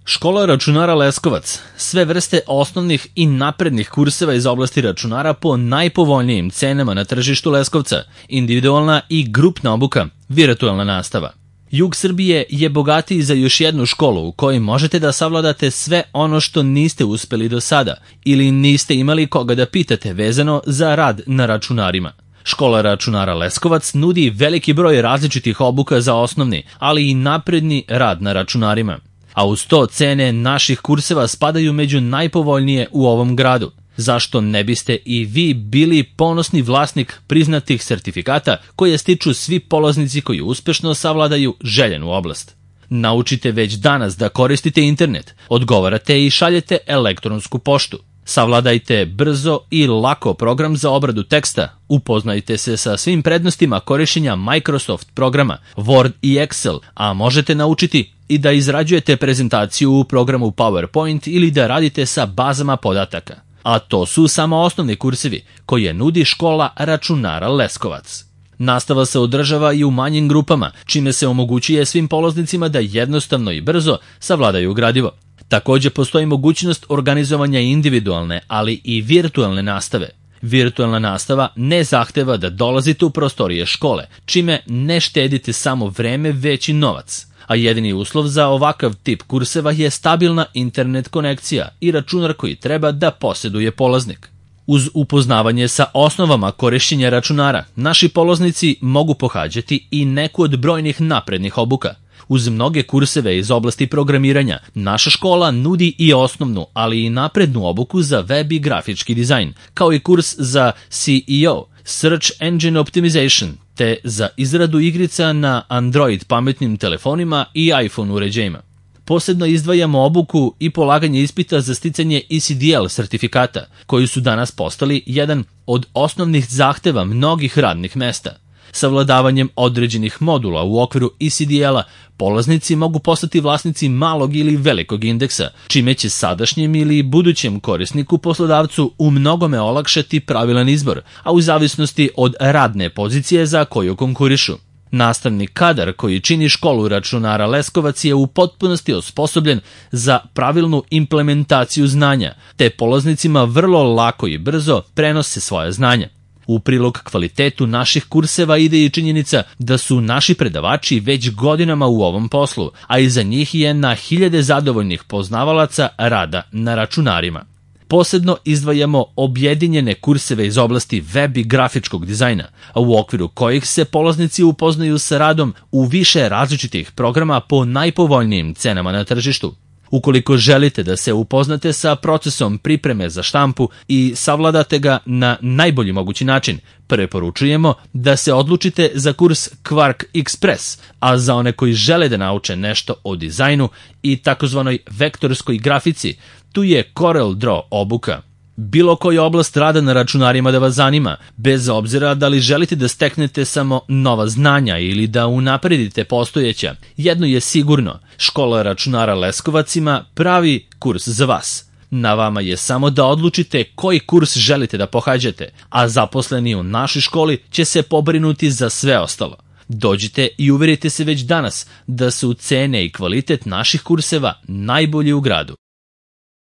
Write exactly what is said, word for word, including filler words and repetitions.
Škola računara Leskovac. Sve vrste osnovnih i naprednih kurseva iz oblasti računara po najpovoljnijim cenama na tržištu Leskovca, individualna i grupna obuka, virtualna nastava. Jug Srbije je bogatiji za još jednu školu u kojoj možete da savladate sve ono što niste uspeli do sada ili niste imali koga da pitate vezano za rad na računarima. Škola računara Leskovac nudi veliki broj različitih obuka za osnovni, ali i napredni rad na računarima. A uz to cene naših kurseva spadaju među najpovoljnije u ovom gradu. Zašto ne biste i vi bili ponosni vlasnik priznatih sertifikata koje stiču svi polaznici koji uspešno savladaju željenu oblast? Naučite već danas da koristite internet, odgovarate i šaljete elektronsku poštu. Savladajte brzo i lako program za obradu teksta, upoznajte se sa svim prednostima korišćenja Microsoft programa, Word i Excel, a možete naučiti i da izrađujete prezentaciju u programu PowerPoint ili da radite sa bazama podataka. A to su samo osnovni kursevi koje nudi škola računara Leskovac. Nastava se održava i u manjim grupama, čime se omogućuje svim polaznicima da jednostavno i brzo savladaju gradivo. Također postoji mogućnost organizovanja individualne, ali i virtualne nastave. Virtualna nastava ne zahteva da dolazite u prostorije škole, čime ne štedite samo vreme, već i novac. A jedini uslov za ovakav tip kurseva je stabilna internet konekcija i računar koji treba da posjeduje polaznik. Uz upoznavanje sa osnovama korišćenja računara, naši polaznici mogu pohađati i neku od brojnih naprednih obuka. Uz mnoge kurseve iz oblasti programiranja, naša škola nudi i osnovnu, ali i naprednu obuku za web i grafički dizajn, kao i kurs za S E O, Search Engine Optimization, te za izradu igrica na Android pametnim telefonima i iPhone uređajima. Posebno izdvajamo obuku i polaganje ispita za sticanje E C D L sertifikata, koji su danas postali jedan od osnovnih zahteva mnogih radnih mesta. Savladavanjem određenih modula u okviru E C D L-a polaznici mogu postati vlasnici malog ili velikog indeksa, čime će sadašnjem ili budućem korisniku poslodavcu u mnogome olakšati pravilan izbor, a u zavisnosti od radne pozicije za koju konkurišu. Nastavni kadar koji čini školu računara Leskovac je u potpunosti osposobljen za pravilnu implementaciju znanja, te polaznicima vrlo lako i brzo prenose svoje znanja. U prilog kvalitetu naših kurseva ide i činjenica da su naši predavači već godinama u ovom poslu, a iza njih je na hiljade zadovoljnih poznavalaca rada na računarima. Posebno izdvajamo objedinjene kurseve iz oblasti web i grafičkog dizajna, a u okviru kojih se polaznici upoznaju sa radom u više različitih programa po najpovoljnijim cenama na tržištu. Ukoliko želite da se upoznate sa procesom pripreme za štampu i savladate ga na najbolji mogući način, preporučujemo da se odlučite za kurs Quark Express, a za one koji žele da nauče nešto o dizajnu i takozvanoj vektorskoj grafici, tu je Corel Draw obuka. Bilo koja oblast rada na računarima da vas zanima, bez obzira da li želite da steknete samo nova znanja ili da unapredite postojeća, jedno je sigurno, škola računara Leskovac ima pravi kurs za vas. Na vama je samo da odlučite koji kurs želite da pohađate, a zaposleni u našoj školi će se pobrinuti za sve ostalo. Dođite i uverite se već danas da su cene i kvalitet naših kurseva najbolji u gradu.